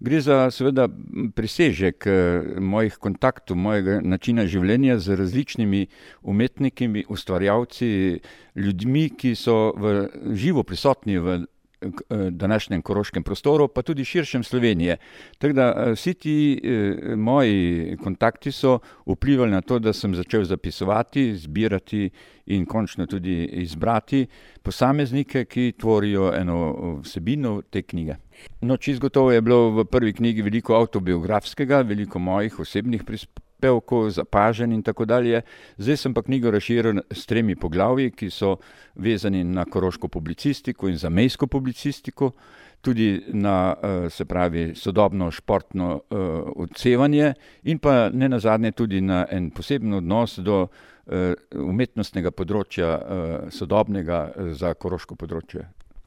Gre za seveda presežek mojih kontaktov, mojega načina življenja z različnimi umetniki, ustvarjalci, ljudmi, ki so živo prisotni v današnjem koroškem prostoru, pa tudi širšem Slovenije. Tako da vsi ti moji kontakti so vplivali na to, da sem začel zapisovati, zbirati in končno tudi izbrati posameznike, ki tvorijo eno vsebino te knjige. No, čisto gotovo je bilo v prvi knjigi veliko avtobiografskega, veliko mojih osebnih prispevkov, zapažanj in tako dalje. Zdaj sem pa knjigo razširil s 3 poglavji, ki so vezani na koroško publicistiko in zamejsko publicistiko, tudi na, se pravi, sodobno športno odsevanje in pa nenazadnje tudi na en poseben odnos do umetnostnega področja, sodobnega za koroško področje.